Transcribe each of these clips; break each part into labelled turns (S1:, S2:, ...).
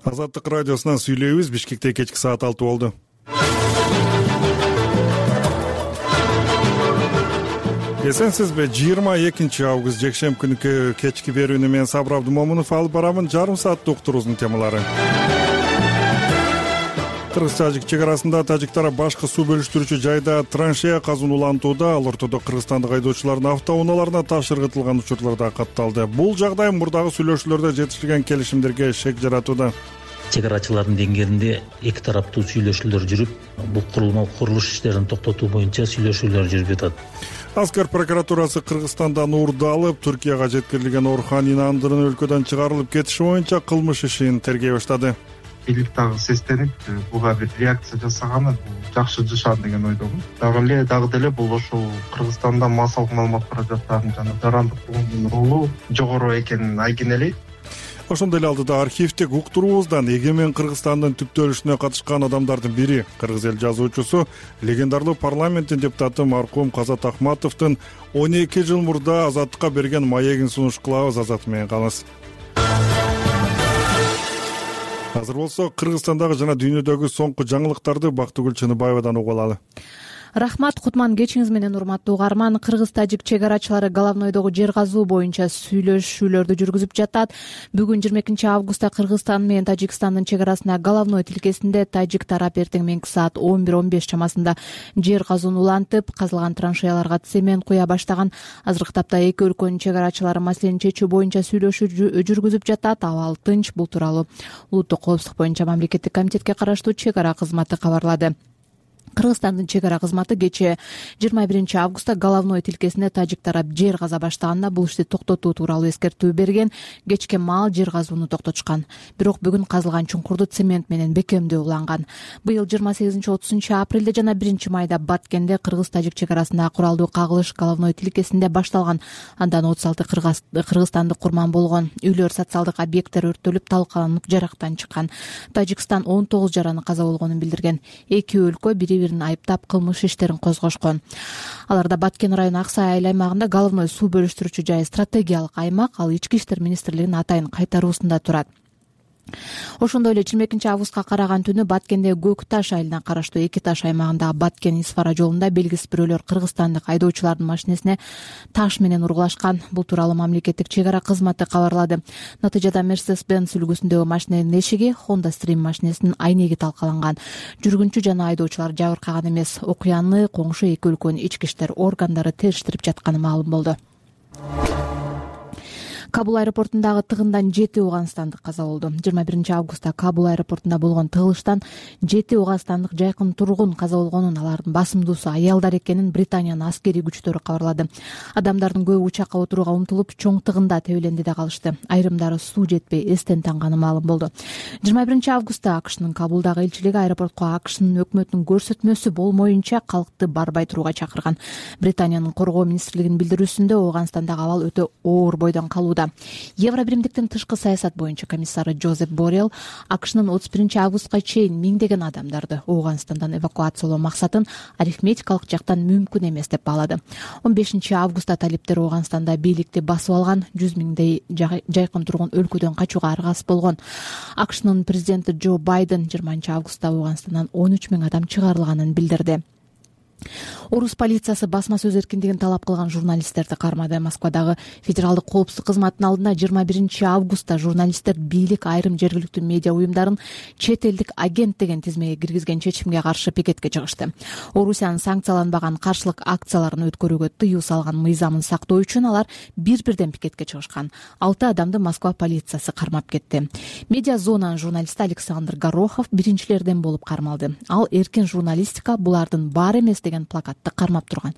S1: Азаттык радиосунан сүйлөйбүз. Бишкекте кечки саат 6 болду. Эсенсизби? 22 август жекшемби күнкү кечки берүүнү мен Сабыр Абдымомунов алып барамын. Жарым сааттык уктуруубуздун темалары. Кыргыз-тажик чек арасында тажик тарап башкы суу бөлүштүрүүчү жайда траншея казууну улантууда. Ал ортодо кыргызстандык айдоочулардын автоунааларына таш ыргытылган учурлар да катталды. Бул жагдай мурдагы сүйлөшүүлөрдө жетишилген келишимдерге шек жаратууда.
S2: Чек арачылардын деңгээлинде эки тараптуу сүйлөшүүлөр жүрүп, бул курулуш иштерин токтотуу боюнча сүйлөшүүлөр жүрүп жатат.
S1: Аскер прокуратурасы Кыргызстандан уурду алып, Түркияга жеткирилген Орхан Инандырын өлкөдөн чыгарылып кетиши боюнча кылмыш ишин тергей баштады.
S3: Бийлик дагы сестенип, буга бир реакция жасаганы жакшы жашан деген ойдомун. Дагы деле бул ошол Кыргызстанда массалык маалымат каражаттарынын жана жарандык фондунун ролу жогору экенин айкын элейт.
S1: Ошондой эле алдыда архивдик уктуруубуздан эгемен Кыргызстандын түптөлүшүнө катышкан адамдардын бири, кыргыз эл жазуучусу, легендарлуу парламенттин депутаты маркум Казат Ахматовдун 12 жыл мурда Азаттыкка берген маегин сунуш кылабыз. Азат менен калыңыз. Азыр болсо Кыргызстандагы жана дүйнөдөгү соңку жаңылыктарды Бактыгүл Чыныбаевадан угуп алалы.
S4: Рахмат, Кутман, кечиңиз менен урматтуу угарман. Кыргыз-тажик чек арачылары Головнойдогу жер казуу боюнча сүйлөшүүлөрдү жүргүзүп жатат. Бүгүн 22 августта Кыргызстан менен Тажикстандын чек арасында Головной тилкесинде тажик тарап эртең менки саат 11:15 чамасында жер казууну улантып, казылган траншеяларга цемент куя баштаган. Азыркы тапта эки өлкөнүн чек арачылары маселени чечүү боюнча сүйлөшүү жүргүзүп жатат. Абал тынч. Бул тууралуу улуттук коопсуздук боюнча мамлекеттик комитетке караштуу чек ара кызматы кабарлады. Кыргызстандын чек ара кызматы кечээ 21 августта Головной тилкесинде тажик тарап жер каза баштаганда бул ишти токтотуу тууралуу эскертүү берген. Кечке маал жер казууну токтотушкан. Бирок бүгүн казылган чуңкурду цемент менен бекемдөө уланган. Быйыл 28-30 апрелде жана 1 майда Баткенде кыргыз-тажик чек арасында куралдуу кагылыш Головной тилкесинде башталган. Андан 36 кыргызстандык курман болгон. Үйлөр, социалдык объекттер өрттөлүп, талкаланып, жарактан чыккан. Тажикстан 19 жараны каза болгонун билдирген. Эки өлкө бири-бирин айыптап кылмыш иштерин козгошкон. Аларда Баткен району Аксай айыл аймагында Головной суу бөлүштүрүүчү жай стратегиялык аймак. Ал Ички иштер министрлигинин атайын кайтаруусунда турат. Ошондой эле 22 августка караган түнү Баткенде Көк Таш айылына караштуу Эки Таш аймагындагы Баткен-Исфара жолунда белгисиз бирөөлөр кыргызстандык айдоочулардын машинесине таш менен ургулашкан. Бул тууралуу мамлекеттик чек ара кызматы кабарлады. Натыйжада Mercedes-Benz үлгүсүндөгү машиненин эшиги, Honda Stream машинесинин айнеги талкаланган. Жүргүнчү жана айдоочулар жабыркаган эмес. Окуяны коңшу эки өлкөнүн ички иштер органдары териштирип жатканы маалым болду. Кабул аэропортундагы тыгындан 7 уганстандык каза болду. 21 августта Кабул аэропортунда болгон тыгылыштан 7 уганстандык жайкын тургун каза болгонун, алардын басымдуусу аялдар экенин Британиянын аскерий күчтөрү кабарлады. Адамдардын көбү учакка отурууга умтулуп, чоң тыгында тебеленди да калышты. Айрымдары суу жетпей эстен танганы маалым болду. 21 августта АКШнын Кабулдагы элчилиги аэропортко АКШнын өкмөтүнүн көрсөтмөсү болмоюнча калкты барбай турууга чакырган. Британиянын коргоо министрлигинин билдирүүсүндө Ооганстандагы абал өтө оор бойдон калууда. Евробиримдиктин тышкы саясат боюнча комиссары Жозеп Боррелл АКШнын 31 августка чейин миңдеген адамдарды Ооганстандан эвакуациялоо максатын арифметикалык жактан мүмкүн эмес деп баалады. 15 августта талиптер Ооганстанда бийликти басып алган, 100 миңдей жайкын тургун өлкөдөн качууга аргасыз болгон. АКШнын президенти Джо Байден 20 августта Ооганстандан 13 миң адам чыгарылганын билдирди. Орус полициясы басма сөз эркиндигин талап кылган журналисттерди кармады. Москвадагы федералдык коопсуздук кызматынын алдында 21 августта журналисттер бийлик айрым жергиликтүү медиа уюмдарын чет элдик агент деген тизмеге киргизген чечимге каршы пикетке чыгышты. Орусиянын санкцияланбаган каршылык акцияларын өткөрүүгө тыюу салган мыйзамын сактоо үчүн алар бир-бирден пикетке чыгышкан. 6 адамды Москва полициясы кармап кетти. Медиа зонанын журналисти Александр Горохов биринчилерден болуп кармалды. Ал эркин журналистика булардын баары эмес деген плакатты кармап турган.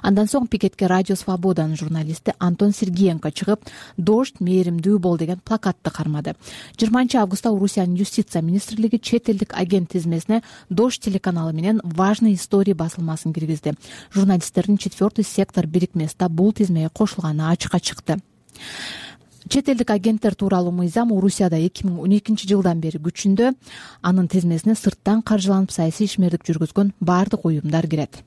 S4: Андан соң пикетке Радио Свободанын журналисти Антон Сергеенко чыгып, "Дождь, мээримдүү бол" деген плакатты кармады. 20 августта Орусиянын юстиция министрлиги чет элдик агент тизмесине Дождь телеканалы менен важные истории басылмасын киргизди. Журналисттердин 4-й сектор бирикмеси бул тизмеге кошулганы ачыкка чыкты. Чет элдик агенттер тууралуу мыйзам Орусияда 2012 жылдан бери күчүндө. Анын тизмесине сырттан каржыланып саясий ишмердик жүргүзгөн баардык уюмдар кирет.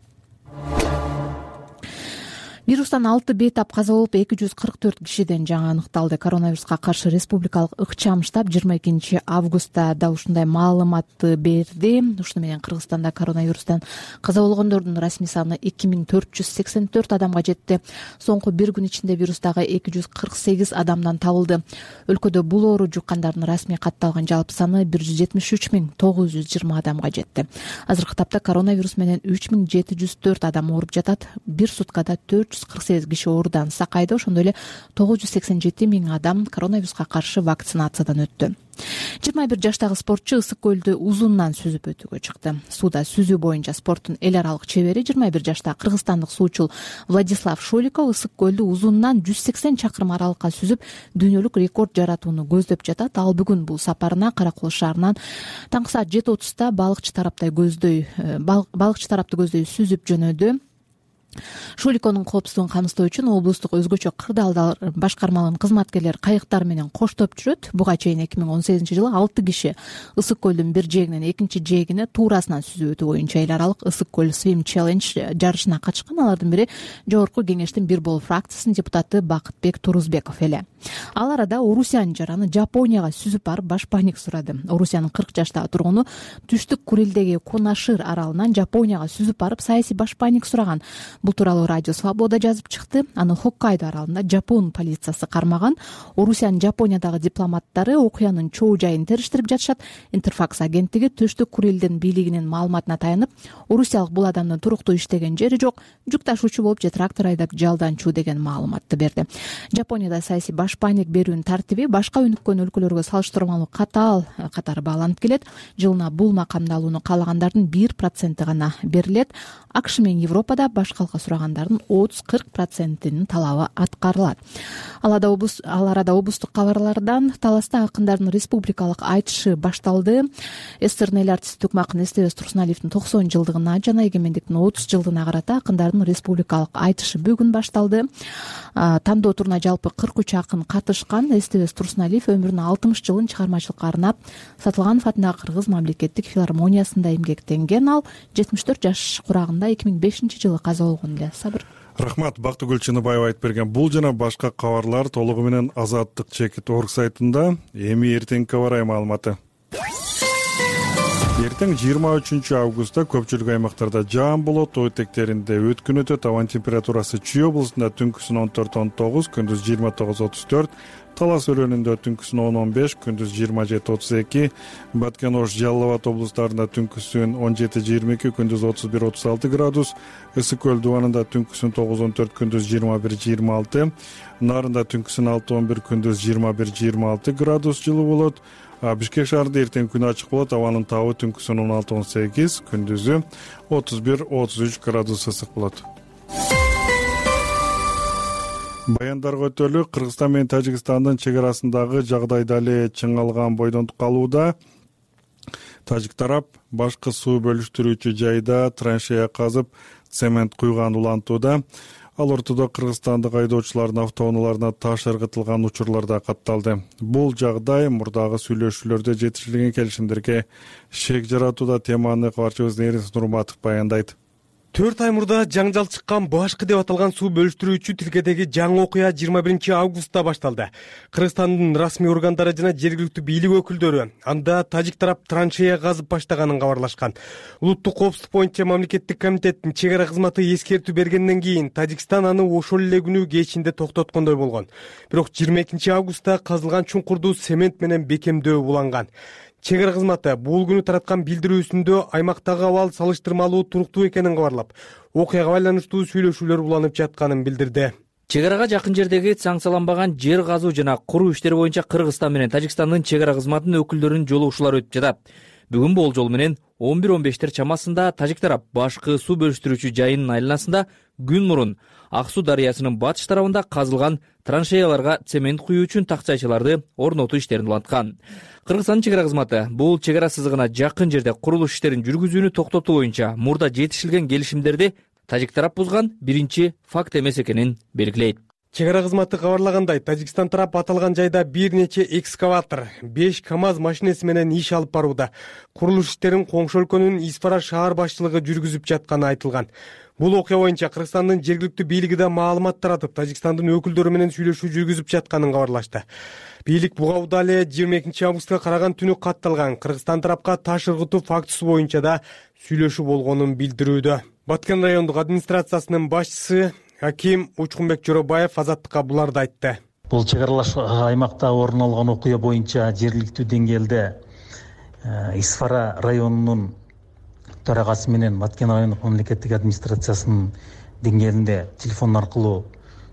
S4: Вирустан 6 бейтап каза болуп 244 кишиден жаңы аныкталды. Коронавируска каршы республикалык ыкчам штаб 22 августта да ушундай маалыматты берди. Ушуну менен Кыргызстанда коронавирустан каза болгондордун расмий саны 2484 адамга жетти. Соңку бир күн ичинде вирустагы 248 адамдан табылды. Өлкөдө бул оору жуккандардын расмий катталган жалпы саны 173920 адамга жетти. Азыркы тапта коронавирус менен 3704 адам ооруп жатат. Бир суткада 448 киши оорудан сакайды. Ошондой эле 987 миң адам коронавируска каршы вакцинациядан өттү. 21 жаштагы спортчу Ысык көлдү узундан сүзүп өтүүгө чыкты. Сууда сүзүү боюнча спорттун эл аралык чебери 21 жаштагы кыргызстандык суучул Владислав Шоликов Ысык көлдү узундан 180 чакырым аралыкка сүзүп дүйнөлүк рекорд жаратууну көздөп жатат. Ал бүгүн бул сапарына Каракол шаарынан таңкы саат 7:30 балыкчы тарапты көздөй сүзүп жөнөдү. Шуликонун коопсуздугун камсыздоо үчүн облустук өзгөчө кырдаалдар башкармаларынын кызматкерлери кайыктар менен коштоп жүрөт. Буга чейин 2018-жылы 6 киши Ысык көлдүн бир жээгинен экинчи жээгине туурасынан сүзүп өтүү боюнча эл аралык Ысык көл Swim Challenge жарышына катышкан. Алардын бири Жогорку кеңештин бир болуу фракциясынын депутаты Бакытбек Турузбеков эле. Ал арада Орусиянын жараны Жапонияга сүзүп барып башпаник сурады. Орусиянын 40 жаштагы тургуну Түштүк Курилдеги Кунашир аралынан Жапонияга сүзүп барып саясий башпаник сураган. Бул тууралуу Радио Свобода жазып чыкты. Аны Хоккайдо аралында Жапон полициясы кармаган. Орусиянын Жапониядагы дипломаттары окуянын чоо жайын териштирип жатышат. Интерфакс агенттиги Түштүк Курилдин бийлигинин маалыматына таянып, орусиялык бул адамдын туруктуу иштеген жери жок, жүк ташуучу болуп же трактор айдап жалданчу деген маалыматты берди. Жапонияда саясий башпаник берүүнүн тартиби башка өнүккөн өлкөлөргө салыштырмалуу катаал катары бааланып келет. Жылына бул макамды алууну каалагандардын 1% гана берилет. АКШ менен Европада баш калка сурагандардын 30-40%нин талабы аткарылат. Ал арада облустук кабарлардан Таласта акындардын республикалык айтышы башталды. СССРдин эл артисти Тукмакын Эстебес Турсуналиевдин 90 жылдыгына жана эгемендиктин 30 жылдыгына карата акындардын республикалык айтышы бүгүн башталды. Тандоо туруна жалпы 43 акын катышкан. Эстебес Турсуналиев өмүрүнүн 60 жылын чыгармачылыкка арнап Сатылганов атындагы Кыргыз мамлекеттик филармониясында эмгектенген. Ал 74 жаш курагында 2005-жылы каза болгон эле. Сабыр.
S1: Рахмат. Бактыгүл Чыныбаева айтып берген бул жана башка кабарлар толугу менен Азаттык.org сайтында. Эми эртеңки абарай маалыматы. Эртең 23 августта көпчүлүк аймактарда жаан болот. Ой тектеринде өткүн өтөт. Абанын температурасы Чүй облусунда түнкүсүн 14-19, күндүз 29-34, Талас өлкөнүндө түнкүсүн 10-15, күндүз 27-32, Баткен Ош, Жалал Абад облустарында түнкүсүн 17-22, күндүз 31-36 градус, Ысык көл дубанында түнкүсүн 9-14, күндүз 21-26, Нарында түнкүсүн 6-11, күндүз 21-26 градус жылуу болот. Бишкек шаарында эртең күн ачык болот. Абанын табы түнкүсүн 16-18, күндүзү 31-33 градус ысык болот. Баяндарга өтөлү. Кыргызстан менен Тажикстандын чек арасындагы жагдай дале чыңалган бойдон калууда. Тажик тарап башкы суу бөлүштүрүүчү жайда траншея казып, цемент куйган улантууда. Ал ортодо кыргызстандык айдоочулардын автоунааларына таш ыргытылган учурлар да катталды. Бул жагдай мурдагы сүйлөшүүлөрдө жетишилген келишимдерге шек жаратууда. Теманы кабарчыбыз Нерис Нурматов баяндайт.
S5: 4 ай мурда жаңжал чыккан башкы деп аталган суу бөлүштүрүүчү тилкедеги жаңы окуя 21 августта башталды. Кыргызстандын расмий органдары жана жергиликтүү бийлик өкүлдөрү анда тажик тарап траншея казып баштаганын кабарлашкан. Улуттук коопсуздук боюнча мамлекеттик комитеттин чек ара кызматы эскертүү бергенден кийин Тажикстан аны ошол эле күнү кечинде токтоткондой болгон. Бирок 22 августта казылган чуңкурду цемент менен бекемдөө уланган. Чек ара кызматы бул күнү тараткан билдирүүсүндө аймактагы абал салыштырмалуу туруктуу экенин кабарлап, окуяга байланыштуу сүйлөшүүлөр уланып жатканын билдирди.
S6: Чек арага жакын жердеги санкцияланбаган жер казуу жана куруу иштери боюнча Кыргызстан менен Тажикстандын чек ара кызматынын өкүлдөрүнүн жолугушуулары өтүп жатат. Бүгүн болжол менен 11-15 чамасында тажик тарап башкы суу бөлүштүрүүчү жайынын айланасында күн мурун Ак суу дарыясынын батыш тарабында казылган траншеяларга цемент куюу үчүн такчайчыларды орнотуу иштерин уланткан. Кыргызстандын чек ара кызматы бул чек ара сызыгына жакын жерде курулуш иштерин жүргүзүүнү токтотуу боюнча мурда жетишилген келишимдерди тажик тарап бузган биринчи факт эмес экенин белгилейт.
S5: Чек ара кызматы кабарлагандай, Тажикстан тарап аталган жайда бир нече экскаватор, 5 КАМАЗ машинеси менен иш алып барууда. Курулуш иштерин коңшу өлкөнүн Испара шаар башчылыгы жүргүзүп жатканы айтылган. Бул окуя боюнча Кыргызстандын жергиликтүү бийлиги да маалымат таратып, Тажикстандын өкүлдөрү менен сүйлөшүү жүргүзүп жатканын кабарлашты. Бийлик буга убада эле 22 августка караган түнү катталган Кыргызстан тарапка таш ыргытуу фактысы боюнча да сүйлөшүү болгонун билдирүүдө. Баткен райондук администрациясынын башчысы Аким Учкунбек Жоробаев Азаттыкка буларды айтты.
S2: Бул чек аралаш аймакта орун алган окуя боюнча жергиликтүү деңгээлде Исфара районунун төрагасы менен Баткен райондук мамлекеттик администрациясынын деңгээлинде телефон аркылуу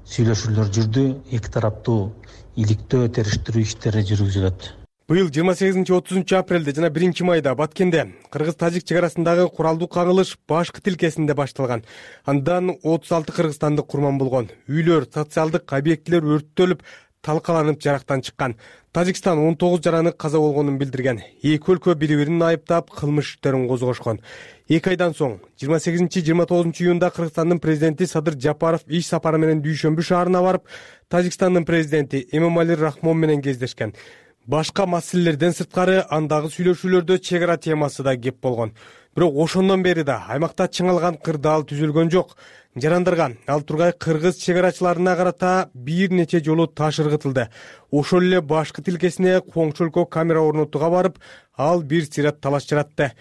S2: сүйлөшүүлөр жүрдү. Эки тараптуу иликтөө, териштирүү иштери жүргүзүлөт.
S5: Быйыл 28-30 апрелде жана 1 майда Баткенде кыргыз-тажик чек арасындагы куралдуу кагылыш башкы тилкесинде башталган. Андан 36 кыргызстандык курман болгон. Үйлөр, социалдык объектилер өрттөлүп, талкаланып жарактан чыккан. Тажикстан 19 жараны каза болгонун билдирген. Эки өлкө бири-бирин айыптап, кылмыш иштерин козгошкон. 2 айдан соң 28-29 июнда Кыргызстандын президенти Садыр Жапаров иш сапары менен Дүйшөмбү шаарына барып, Тажикстандын президенти Эмомали Рахмон менен кездешкен. Башка маселелерден сырткары андагы сүйлөшүүлөрдө чек ара темасы да кеп болгон. Бирок ошондон бери да аймакта чыңалган кырдаал түзүлгөн жок. Жарандарга ал тургай кыргыз чек арачыларына карата бир нече жолу таш ыргытылды. Ошол эле башкы тилкесине коңшу өлкө камера орнотууга барып, ал бир сыйрат талаш жаратты.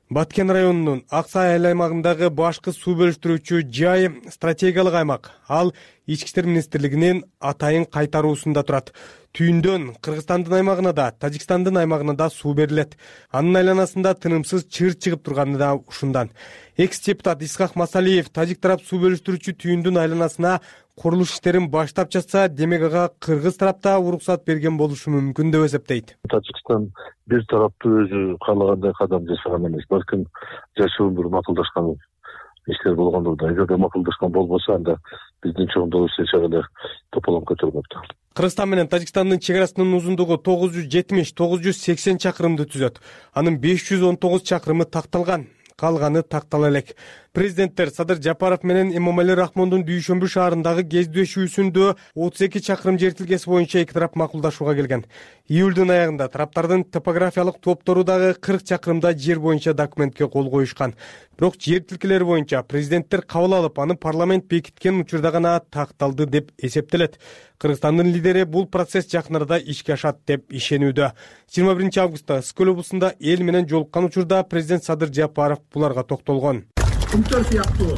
S5: Баткен районунун Аксай айыл аймагындагы башкы суу бөлүштүрүүчү жай стратегиялык аймак. Ал Ички иштер министрлигинин атайын кайтаруусунда турат. Түйүндөн Кыргызстандын аймагына да, Тажикстандын аймагына да суу берилет. Анын айланасында тынымсыз чыр чыгып турганы да ушундан. Экс-депутат Исхак Масалиев тажик тарап суу бөлүштүрүүчү түйүндүн айланасына курулуш иштерин баштап жатса, демек ага кыргыз тарапта уруксат берген болушу мүмкүн деп эсептейт.
S7: Тажикстан бир тараптуу өзү каалагандай кадам жасаган эмес, балким жашоон бир макулдашкан иштер болгондур да. Эгерде макулдашкан болбосо, анда биздин чоңдообуз эч жагы тополоңко көтөрмөптү.
S5: Кыргызстан менен Тажикстандын чек арасынын узундугу 970-980 чакырымды түзөт. Анын 519 чакырымы такталган, калганы тактала элек. Президенттер Садыр Жапаров менен Эмомали Рахмондун Дүйшөмбү шаарындагы кездешүүсүндө 32 чакырым жер тилкеси боюнча эки тарап макулдашууга келген. Июлдун аягында тараптардын топографиялык топтору дагы 40 чакырымда жер боюнча документке кол коюшкан. Бирок жер тилкелери боюнча президенттер кабыл алып, аны парламент бекиткен учурда гана такталды деп эсептелет. Кыргызстандын лидери бул процесс жакын арада ишке ашат деп ишенүүдө. 21 августта Скөл облусунда эл менен жолуккан учурда президент Садыр Жапаров буларга токтолгон.
S8: Кумтөр сыяктуу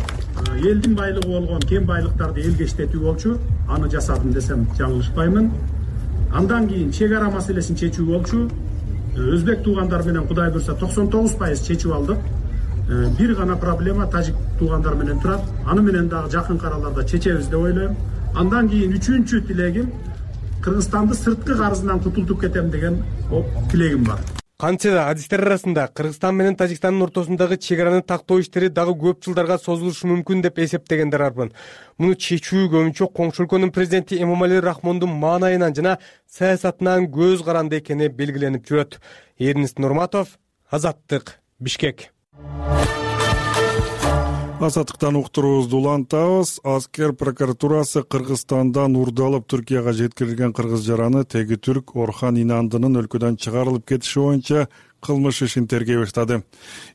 S8: элдин байлыгы болгон кем байлыктарды элге иштетүү болчу. Аны жасадым десем жаңылышпаймын. Андан кийин чек ара маселесин чечүү болчу. Өзбек туугандар менен Кудай буйрса 99% чечип алдык. Бир гана проблема тажик туугандар менен турат. Аны менен дагы жакын араларда чечебиз деп ойлойм. Андан кийин үчүнчү тилегим Кыргызстанды сырткы карызынан кутултуп кетем деген тилегим бар.
S5: Кантсе да адистер арасында Кыргызстан менен Тажикстандын ортосундагы чек араны тактоо иштери дагы көп жылдарга созулушу мүмкүн деп эсептегендер арбын. Муну чечүү көбүнчө коңшу өлкөнүн президенти Эмомали Рахмондун маанайынан жана саясатынан көз каранды экени белгиленип жүрөт. Эрнест Нурматов, Азаттык, Бишкек.
S1: Азаттыктан уктуруубузду улантабыз. Аскер прокуратурасы Кыргызстандан урдалып Түркияга жеткирилген кыргыз жараны теги түрк Орхан Инандынын өлкөдөн чыгарылып кетиши боюнча кылмыш ишин тергей баштады.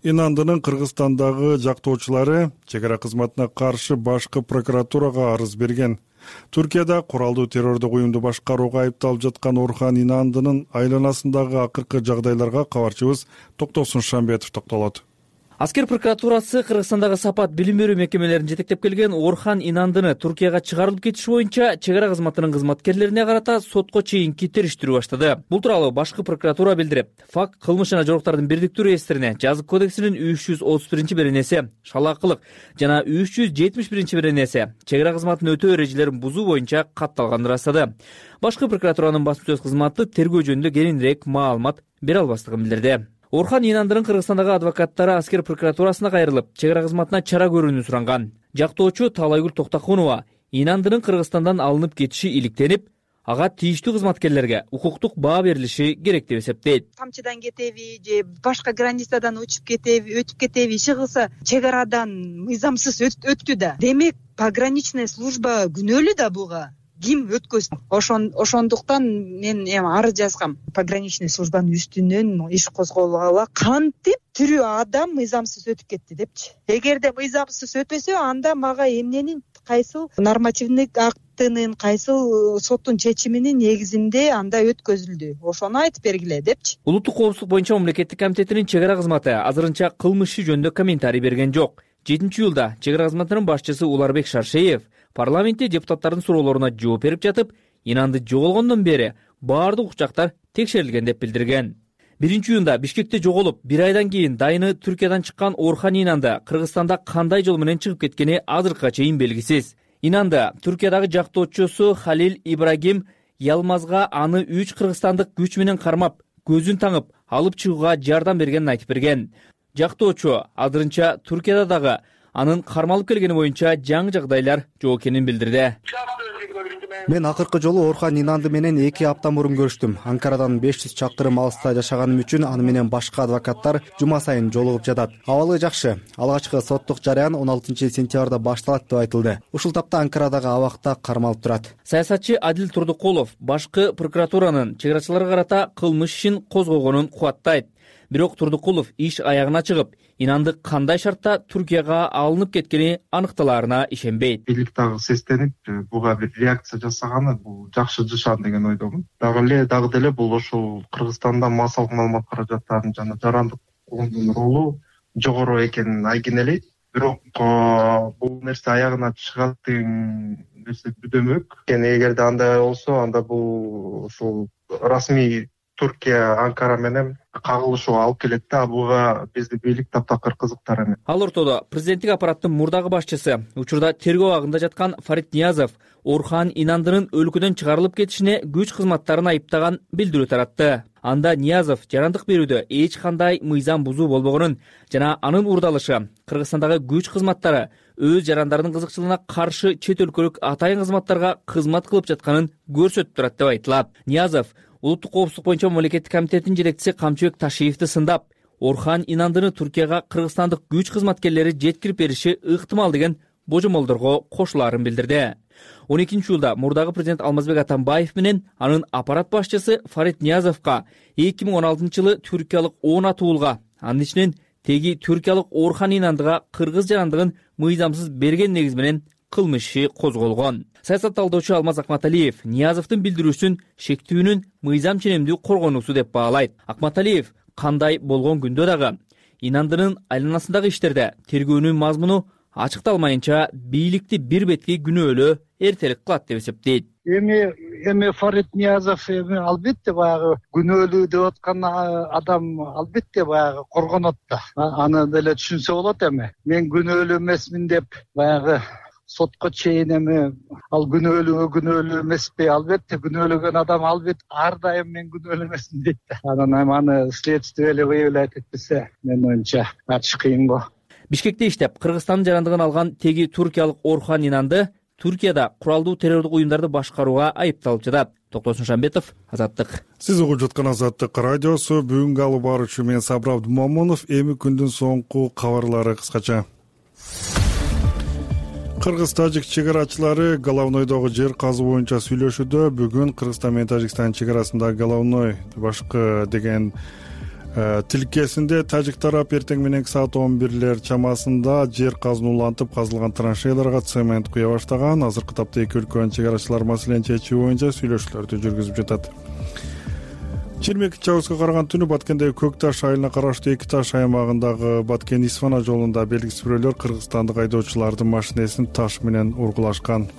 S1: Инандынын Кыргызстандагы жактоочулары чек ара кызматына каршы башкы прокуратурага арыз берген. Түркияда куралдуу террордук уюмду башкарууга айыпталып жаткан Орхан Инандынын айланасындагы акыркы жагдайларга кабарчыбыз Токтосун Шамбетов токтолот.
S6: Аскер прокуратурасы Кыргызстандагы сапат билим берүү мекемелерин жетектеп келген Орхан Инандыны Туркияга чыгарылып кетиши боюнча чек ара кызматынын кызматкерлерине карата сотко чейинки териштирүү баштады. Бул тууралуу башкы прокуратура билдирип, факт кылмыш жана жоруктардын бирдиктүү реестрине Жазык кодексинин 331-беренеси шалаакылык жана 371-беренеси чек ара кызматын өтөө эрежелерин бузуу боюнча катталганын ырастады. Башкы прокуратуранын басма сөз кызматы тергөө жөнүндө кененирээк маалымат бере албастыгын билдирди. Орхан Инандынын Кыргызстандагы адвокаттары Аскер прокуратурасына кайрылып, чек ара кызматына чара көрүүнү суранган. Жактоочу Таалайгүл Токтокунова Инандынын Кыргызстандан алынып кетиши иликтенип, ага тийиштүү кызматкерлерге укуктук баа берилиши керек деп эсептейт.
S9: Камчыдан кетеби же башка границадан өтүп кетеби, иши кылса чек арадан мыйзамсыз өттү да. Демек, пограничная служба күнөөлүү да буга. ким өткөзсүн. Ошондуктан мен эми арыз жазгам пограничный службанын үстүнөн иш козголгула, кантип тирүү адам мыйзамсыз өтүп кетти депчи. Эгерде мыйзамсыз өтпөсө, анда мага эмненин, кайсыл нормативдик актынын, кайсыл соттун чечиминин негизинде анда өткөзүлдү, ошону айтып бергиле депчи.
S6: Улуттук коопсуздук боюнча мамлекеттик комитетинин чек ара кызматы азырынча кылмыш иши жөнүндө комментарий берген жок. 7-июлда чек ара кызматынын башчысы Уларбек Шаршеев парламентте депутаттардын суроолоруна жооп берип жатып, Инанды жоголгондон бери баардык учактар текшерилген деп билдирген. 1-июнда Бишкекте жоголуп, 1 айдан кийин дайыны Түркиядан чыккан Орхан Инанды Кыргызстанда кандай жол менен чыгып кеткени азыркыга чейин белгисиз. Инанды Түркиядагы жактоочусу Халил Ибрагим Ялмазга аны 3 кыргызстандык күч менен кармап, көзүн таңып, алып чыгууга жардам бергенин айтып берген. Жактоочу азырынча Түркияда дагы анын кармалып келгени боюнча жаңы жагдайлар жок экенин билдирди.
S10: Мен акыркы жолу Орхан Инанды менен 2 апта мурун көрүштүм. Анкарадан 500 чакырым алыста жашаганым үчүн аны менен башка адвокаттар жума сайын жолугуп жатат. Абалы жакшы. Алгачкы соттук жараян 16 сентябрда башталат деп айтылды. Ушул тапта Анкарадагы абакта кармалып турат.
S6: Саясатчы Адил Турдукулов башкы прокуратуранын чек арачыларга карата кылмыш ишин козгогонун кубаттайт. Бирок Турдукулов иш аягына чыгып, Инанды кандай шартта Түркияга алынып кеткени аныкталаарына ишенбейт.
S3: Бийликтагы сестенип, буга бир реакция жасаганы бул жакшы жашан деген ойдомун. Дагы деле бул ошол Кыргызстанда массалык маалымат каражаттарынын жана жарандык коомдун ролу жогору экенин айгинелейт. Бирок бул нерсе аягына чыгат деген нерсе күдөмөк. Эгерде андай болсо, анда бул ушул расмий Түркия Анкара менен кагылышууга алып келет да, буга биздин бийлик таптакыр кызыктар эмес.
S6: Ал ортодо президенттик аппараттын мурдагы башчысы, учурда тергөө абагында жаткан Фарид Ниязов Орхан Инандынын өлкөдөн чыгарылып кетишине күч кызматтарын айыптаган билдирүү таратты. Анда Ниязов жарандык берүүдө эч кандай мыйзам бузуу болбогонун жана анын урдалышы Кыргызстандагы күч кызматтары өз жарандарынын кызыкчылыгына каршы чет өлкөлүк атайын кызматтарга кызмат кылып жатканын көрсөтүп турат деп айтылат. Ниязов Улуттук коопсуздук боюнча мамлекеттик комитетинин жетекчиси Камчыбек Ташиевди сындап, Орхан Инандыны Түркияга кыргызстандык күч кызматкерлери жеткирип бериши ыктымал деген божомолдорго кошулаарын билдирди. 12-июлда мурдагы президент Алмазбек Атамбаев менен анын аппарат башчысы Фарид Ниязовго 2016-жылы түркиялык 10 атуулга, анын ичинен теги түркиялык Орхан Инандыга кыргыз жарандыгын мыйзамсыз берген негиз менен кылмыш иши козголгон. Саясат талдоочу Алмаз Акматалиев Ниязовдун билдирүүсүн шектүүнүн мыйзам ченемдүү коргонуусу деп баалайт. Акматалиев кандай болгон күндө дагы Инандынын айланасындагы иштерде тергөөнүн мазмуну ачыкталмайынча бийликти бир бетки күнөөлөө эртерээк кылат деп эсептейт.
S11: Эми Фарид Ниязов албетте баягы күнөөлүү деп аткан адам албетте баягы коргонот да. Аны деле түшүнсө болот эми. Мен күнөөлүү эмесмин деп баягы сотко чейин эми ал күнөөлүү эмеспи? Албетте күнөөлөгөн адам албетте ар дайым мен күнөөлүү эмесмин дейт да. Анан эми аны следствие эле выявлять этпесе, менин оюмча ачык кыйын го.
S6: Бишкекте иштеп, Кыргызстандын жарандыгын алган теги туркиялык Орхан Инанды Түркияда куралдуу террордук уюмдарды башкарууга айыпталып жатат. Токтосун Шамбетов, Азаттык.
S1: Сиз угуп жаткан Азаттык радиосу. Бүгүнкү алып баруучу мен Сабыр Абдумомунов. Эми күндүн соңку кабарлары кыскача. Кыргыз-тажик чек арачылары Головнойдогу жер казуу боюнча сүйлөшүүдө. Бүгүн Кыргызстан менен Тажикстан чек арасындагы Головной башкы деген тилкесинде тажик тарап эртең мененки саат 11 чамасында жер казууну улантып, казылган траншейларга цемент куя баштаган. Азыркы тапта эки өлкөнүн чек арачылары маселени чечүү боюнча сүйлөшүүлөрдү жүргүзүп жатат. 22 августка караган түнү Баткендеги Көк Таш айылына караштуу Эки Таш аймагындагы Баткен-Исфана жолунда белгисиз бирөөлөр кыргызстандык айдоочулардын машинесин таш менен ургулашкан.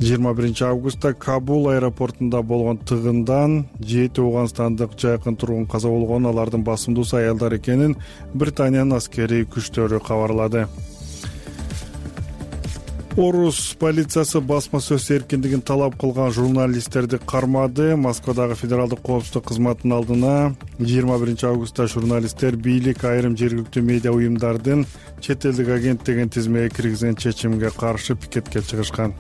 S1: 21 августта Кабул аэропортунда болгон тыгындан 7 Ооганстандык жайкын тургун каза болгон. Алардын басымдуусу аялдар экенин Британиянын аскерий күчтөрү кабарлады. Орус полициясы басма сөз эркиндигин талап кылган журналисттерди кармады. Москвадагы федералдык коопсуздук кызматынын алдына 21 августта журналисттер бийлик айрым жергиликтүү медиа уюмдардын чет элдик агент деген тизмеге киргизген чечимге каршы пикетке чыгышкан.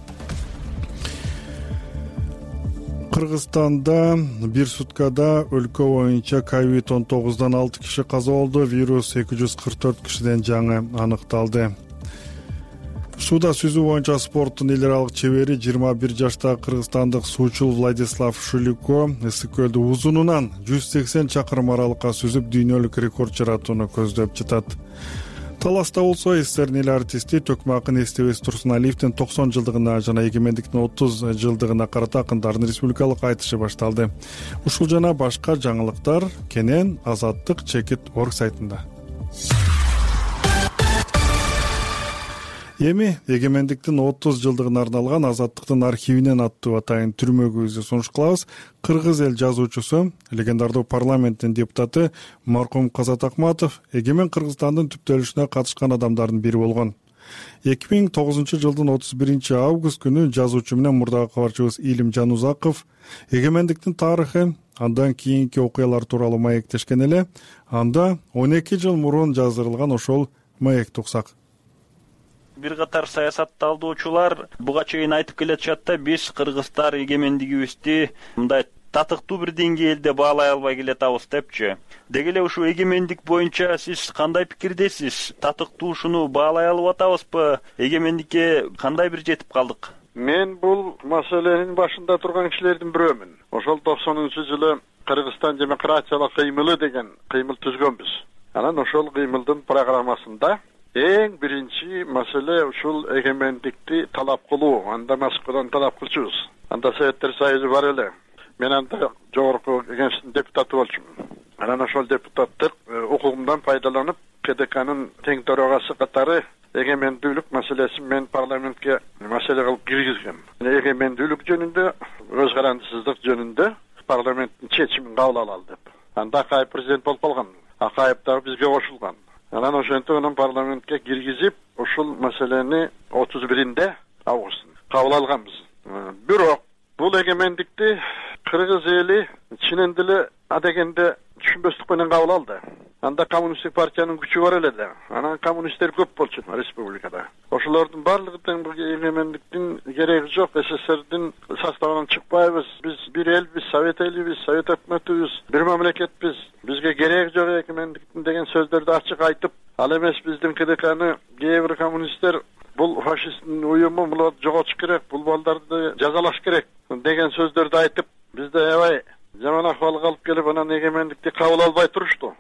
S1: Кыргызстанда бир суткада өлкө боюнча COVID-19 6 киши каза болду. Вирус 244 кишиден жаңы аныкталды. сууда сүзүү боюнча спорттун эл аралык чебери 21 жаштагы кыргызстандык суучул Владислав Шулико ысык көлдү узунунан 180 чакырым аралыкка сүзүп дүйнөлүк рекорд жаратууну көздөп жатат. Таласта болсо СССРдин эл артисти Төкмө акын Эстебес Турсуналиевдин 90 жылдыгына жана эгемендиктин 30 жылдыгына карата акындардын республикалык айтышы башталды. Ушул жана башка жаңылыктар кенен Азаттык Чекит.org сайтында. Эми эгемендиктин 30 жылдыгына арналган Азаттыктын архивинен аттуу атайын түрмөгүбүздү сунуш кылабыз. Кыргыз эл жазуучусу, легендардуу парламенттин депутаты маркум Казат Акматов эгемен Кыргызстандын түптөлүшүнө катышкан адамдардын бири болгон. 2009 жылдын 31 август күнү жазуучу менен мурдагы кабарчыбыз Илим Жанузаков эгемендиктин тарыхы, андан кийинки окуялар тууралуу маектешкен эле. Анда 12 жыл мурун жаздырылган ошол маекти уксак.
S12: Бир катар саясатталуучулар буга чейин айтып келатышат да, биз кыргыздар эгемендигибизди мындай татыктуу бир деңгээлде баалай албай келатабыз депчи. Деги эле ушул эгемендик боюнча сиз кандай пикирдесиз? Татыктуушуну баалай алып атабызбы? Эгемендикке кандай бир жетип калдык?
S13: Мен бул маселенин башында турган кишилердин бирөөмүн. Ошол 90-жылы Кыргызстан демократиялык кыймылы деген кыймыл түзгөнбүз. Анан ошол кыймылдын программасында эң биринчи маселе ушул эгемендикти талап кылуу. Анда Москвадан талап кылчубуз. Анда Советтер Союзу бар эле. Мен анда жогорку кеңештин депутаты болчумун. Анан ошол депутаттык укугумдан пайдаланып, КДКнын тең төрагасы катары эгемендүүлүк маселесин мен парламентке маселе кылып киргизгем. Эгемендүүлүк жөнүндө, өз карандысыздык жөнүндө парламенттин чечимин кабыл алалы деп. Анда Акаев президент болуп калган. Акаев дагы бизге кошулган. Анан ошентип анан парламентке киргизип, ушул маселени 31 август кабыл алганбыз. Бирок бул эгемендикти кыргыз эли чынын деле адегенде түшүнбөстүк менен кабыл алды. Анда коммунисттик партиянын күчү бар эле да. Анан коммунисттер көп болчу республикада. Ошолордун баардыгы тең бул эгемендиктин кереги жок, СССРдин составынан чыкпайбыз. Биз бир элбиз, совет элибиз, совет өкмөтүбүз, бир мамлекетпиз. Бизге кереги жок эгемендиктин деген сөздөрдү ачык айтып, ал эмес биздин КДКны кээ бир коммунисттер бул фашисттин уюму, буларды жоготуш керек, бул балдарды жазалаш керек деген сөздөрдү айтып, бизде аябай жаман акыбалга алып келип, анан эгемендикти кабыл албай турушту.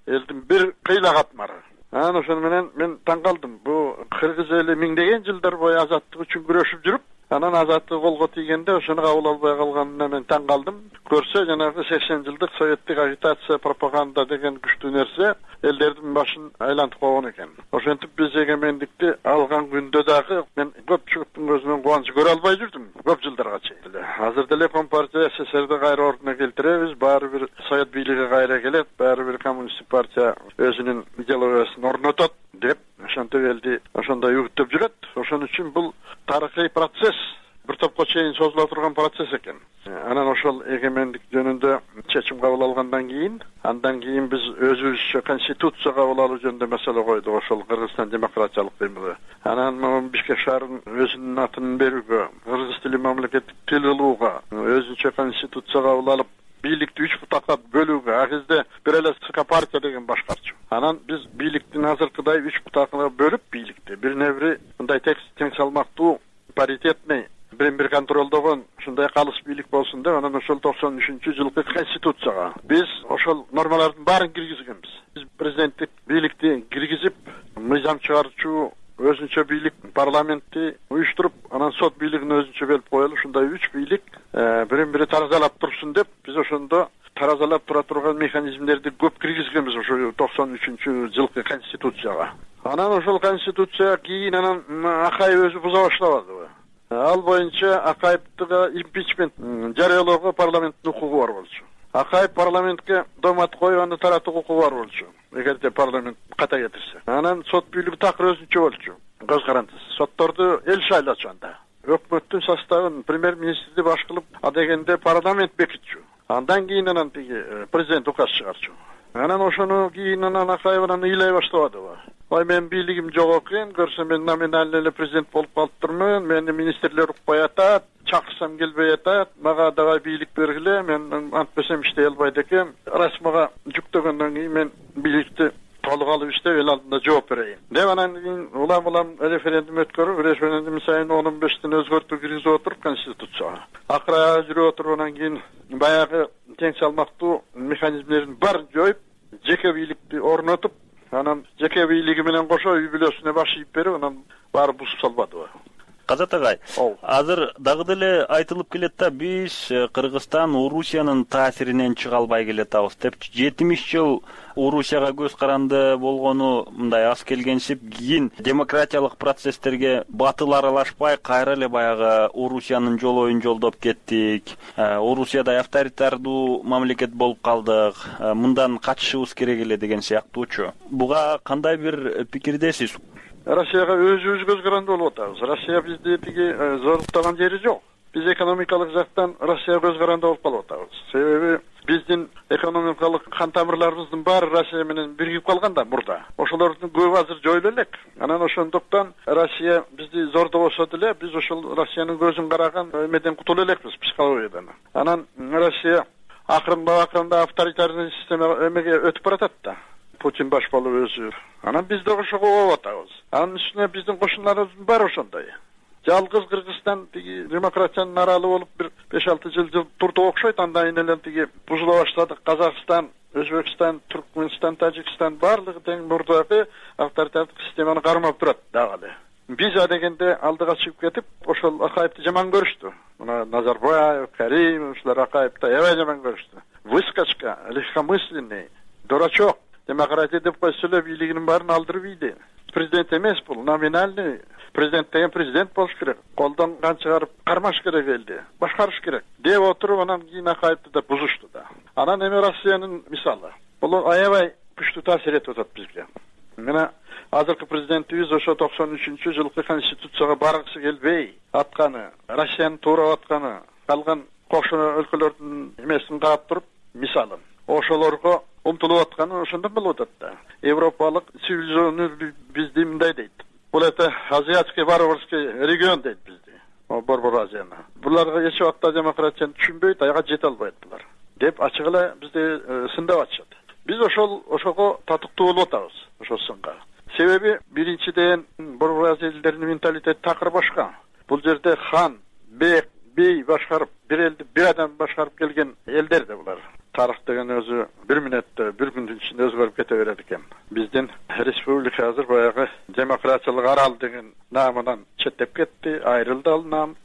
S13: Элдин бир кыйлагатмары. Анан ошону менен мен таң калдым. Бу кыргыз эли миңдеген жылдар бою азаттык үчүн күрөшүп жүрүп, анан азаттык колго тийгенде ошону кабыл албай калганына мен таң калдым. Көрсө жанагы 80 жылдык советтик агитация, пропаганда деген күчтүү нерсе элдердин башын айлантып койгон экен. Ошентип биз эгемендикти алган күндө дагы мен көпчүлүктүн көзүнөн кубанычы көрө албай жүрдүм көп жылдарга чейин. Азыр деле Компартия СССРди кайра ордуна келтиребиз, баары бир совет бийлиги кайра келет, баары бир коммунисттик партия өзүнүн идеологиясын орнотот деп ошентип элди ошондой үгүттөп жүрөт. Ошон үчүн бул тарыхый процесс, бир топко чейин созула турган процесс экен. Анан ошол эгемендик жөнүндө чечим кабыл алгандан кийин, андан кийин биз өзүбүзчө конституция кабыл алуу жөнүндө маселе койдук, ошол Кыргызстан демократиялык кыймылы. Анан Бишкек шаарынын өзүнүн атын берүүгө, кыргыз тили мамлекеттик тил кылууга, өзүнчө конституция кабыл алып, бийликти 3 бутакка бөлүүгө, а кезде бир эле СК партия деген башкарчу. Анан биз бийликтин азыркыдай 3 бутакка бөлүп бийликти бирине бири мындай тең салмактуу, паритетный, бир контролдогон ушундай калыс бийлик болсун деп, анан ошол 93-жылкы конституцияга биз ошол нормалардын баарын киргизгенбиз. Биз президенттик бийликти киргизип, мыйзам чыгаруучу өзүнчө бийлик, парламентти уюштуруп, анан сот бийлигин өзүнчө бөлүп коелу. Ушундай 3 бийлик бирин бири таразалап турсун деп, биз ошондо таразалап тура турган механизмдерди көп киргизгенбиз ошо 93-жылкы конституцияга. Анан ошол конституция кийин анан Акаев өзү буза баштабадыбы? Ал боюнча Акаевдига импичмент жарыялоого парламенттин укугу бар болчу. Акаев парламентке домат коюп, аны таратуу укугу бар болчу, эгерде парламент ката кетирсе. Анан сот бийлиги такыр өзүнчө болчу, көз карандысыз. Сотторду эл шайлачу анда. Өкмөттүн составын премьер-министрди баш кылып, адегенде парламент бекитчү. Андан кийин анан тиги президент указ чыгарчу. Анан ошону кийин анан Акаев анан ыйлай баштабадыбы? Ой, мен бийлигим жок экен, көрсөм мен номинальный эле президент болуп калыптырмын, мени министрлер укпай атат, чакырсам келбей атат, мага дагы бийлик бергиле, мен антпесем иштей албайт экем. Раз мага жүктөгөндөн кийин мен бийликти толук алып иштеп эл алдында жооп берейин деп анан кийин улам референдум өткөрүп, референдум сайын 15тен өзгөртүү киргизип отуруп конституцияга акыр аягы жүрүп отуруп анан кийин баягы тең салмактуу механизмдерин баарын жоюп, жеке бийликти орнотуп, анан жеке бийлиги менен кошо үй бүлөсүнө баш ийип берип, анан баары бузуп салбадыбы?
S12: Казат агай, азыр дагы деле айтылып келет да, биз Кыргызстан Орусиянын таасиринен чыга албай келатабыз депчи. 70 жыл Орусияга көз каранды болгону мындай аз келгенсип, кийин демократиялык процесстерге батыл аралашпай, кайра эле баягы Орусиянын жолоюн жолдоп кеттик. Орусияда авторитардуу мамлекет болуп калдык. Мындан качышыбыз керек эле деген сыяктуучу. Буга кандай бир пикирдесиз?
S13: Россияга өзүбүз көз каранды болуп атабыз. Россия бизди тиги зоруктаган жери жок. Биз экономикалык жактан Россияга көз каранды болуп калып атабыз. Себеби биздин экономикалык кан тамырларыбыздын баары Россия менен биригип калган да мурда. Ошолордун көбү азыр жоюла элек. Анан ошондуктан Россия бизди зордобосо деле биз ошол Россиянын көзүн караган эмеден кутула элекпиз, психологиядан. Анан Россия акырында авторитарный система эмеге өтүп баратат да. Путин баш болуп өзү. Анан биз да ошого болуп атабыз. Анын үстүнө биздин кошуналарыбыздын баары ошондой. Жалгыз Кыргызстан тиги демократиянын аралы болуп бир 5-6 жыл турду окшойт, андан кийин эле тиги бузула баштады. Казакстан, Өзбекстан, Түркмөнстан, Тажикстан баардыгы тең мурдагы авторитардык системаны кармап турат дагы эле. Биз дегенде алдыга чыгып кетип, ошол Акаевди жаман көрүштү. Мына Назарбаев, Каримов, ушулар Акаевди аябай жаман көрүштү. Выскочка, легкомысленный, дурачок. Демократия деп койсо эле бийлигинин баарын алдырып ийди. Президент эмес бул, номинальный. Президент деген президент болуш керек. Колдон кан чыгарып кармаш керек элди. Башкарыш керек. Деп отуруп анан кийин Акаевди да бузушту да. Анан эми Россиянын мисалы. Бул аябай күчтүү таасир этип атат бизге. Мына азыркы президентибиз ошо 93-жылкы конституцияга баргысы келбей атканы, Россиянын туурап атканы, калган кошуна өлкөлөрдүн эмесин каап туруп, мисалы. Ошолорго умтулуп атканы ошондон болуп атат да. Европалык цивилизационный бизди мындай дейт. Бул это азиатский варварский регион дейт бизди. Борбор Азияны. Буларга эч убакта демократияны түшүнбөйт, аяга жете албайт булар. Деп ачык эле бизди сындап атышат. Биз ошого татыктуу болуп атабыз, ошол сынга. Себеби биринчиден Борбор Азия элдеринин менталитети такыр башка. Бул жерде хан, бей башкарып, бир элди бир адам башкарып келген элдер да булар. Тарых деген өзү бир мүнөттө, бир күндүн ичинде өзгөрүп кете берет экен. Биздин республика азыр баягы демократиялык арал деген наамынан четтеп кетти, айрылды ал наам.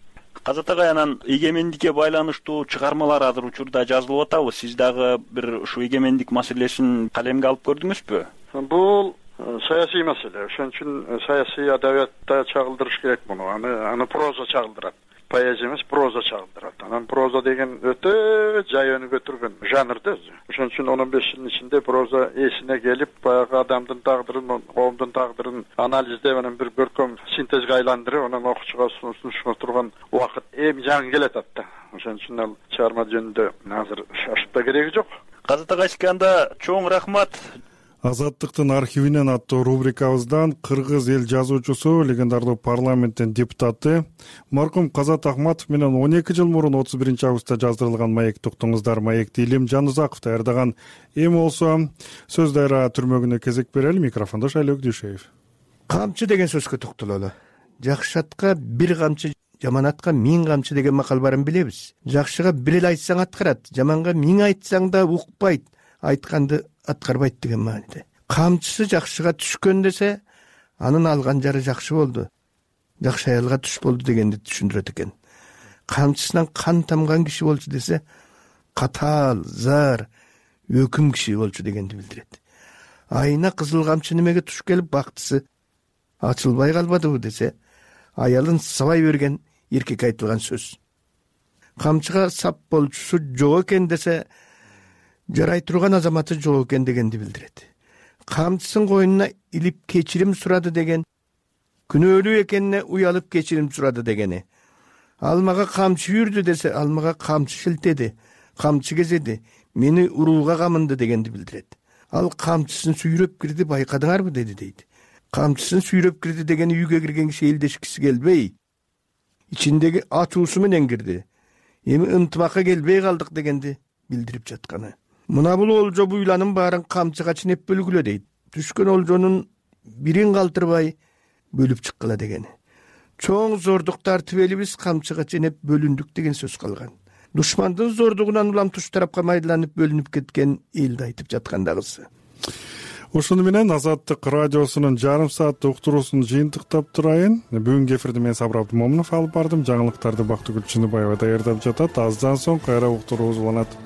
S12: Казат агай, анан эгемендикке байланыштуу чыгармалар азыр учурда жазылып атабы? Сиз дагы бир ушу эгемендик маселесин калемге алып көрдүңүзбү?
S13: Бул саясий маселе. Ошон үчүн саясий адабиятта чагылдырыш керек муну. Аны проза чагылдырат. Поэзия эмес, проза чагылдырат. Анан проза деген өтө жай өнүгө турган жанр да. Ошон үчүн 15 жылдын ичинде проза эсине келип, баягы адамдын тагдырын, коомдун тагдырын анализдеп, анан бир көркөм синтезге айландырып, анан окуучуга сунуша турган убакыт эми жаңы келатат да. Ошон үчүн ал чыгарма жөнүндө азыр шашып да кереги жок.
S12: Казат агай, анда чоң рахмат.
S1: Азаттыктын архивинен аттуу рубрикабыздан кыргыз эл жазуучусу, легендардуу парламенттин депутаты маркум Казат Ахматов менен 12 жыл мурун 31-августта жаздырылган маекти уктуңуздар. Маекти Илим Жанузаков даярдаган. Эми болсо сөз дайра түрмөгүнө кезек берели. Микрофондо Шайлок Дүйшөев.
S14: Камчы деген сөзгө токтололу. Жакшы атка бир камчы, жаман атка 1000 камчы деген макал барын билебиз. Жакшыга бир эле айтсаң аткарат, жаманга 1000 айтсаң да укпайт, айтканды аткарбайт деген мааниде. Камчысы жакшыга түшкөн десе, анын алган жары жакшы болду, жакшы аялга түш болду дегенди түшүндүрөт экен. Камчысынан кан тамган киши болчу десе, катаал, зар, өкүм киши болчу дегенди билдирет. Айына кызыл камчы немеге туш келип бактысы ачылбай калбадыбы десе, аялын сабай берген эркек айтылган сөз. Камчыга сап болчусу жок экен десе, жарай турган азаматы жок экен дегенди билдирет. Камчысын койнуна илип кечирим сурады деген, күнөөлүү экенине уялып кечирим сурады дегени. Алмага камчы үйүрдү десе, алмага камчы шилтеди, камчы кезеди, мени урууга камынды дегенди билдирет. Ал камчысын сүйрөп кирди, байкадыңарбы деди дейт. Камчысын сүйрөп кирди дегени үйгө кирген киши элдешкиси келбей, ичиндеги ачуусу менен кирди. Эми ынтымакка келбей калдык дегенди билдирип жатканы. Мына бул олжо буйланын баарын камчыга чинеп бөлгүлө дейт. түшкөн олжонун бирин калтырбай бөлүп чыккыла деген. Чоң зордук тартып элибиз камчыга ченеп бөлүндүк деген сөз калган. Душмандын зордугунан улам туш тарапка майдаланып бөлүнүп кеткен элди айтып жаткандагысы.
S1: Ушуну менен Азаттык радиосунун жарым сааттык уктуруусун жыйынтыктап турайын. Бүгүнкү эфирди мен Сабыр Абдымомунов алып бардым. Жаңылыктарды Бактыгүл Чыныбаева даярдап жатат. Аздан соң кайра уктуруубуз уланат.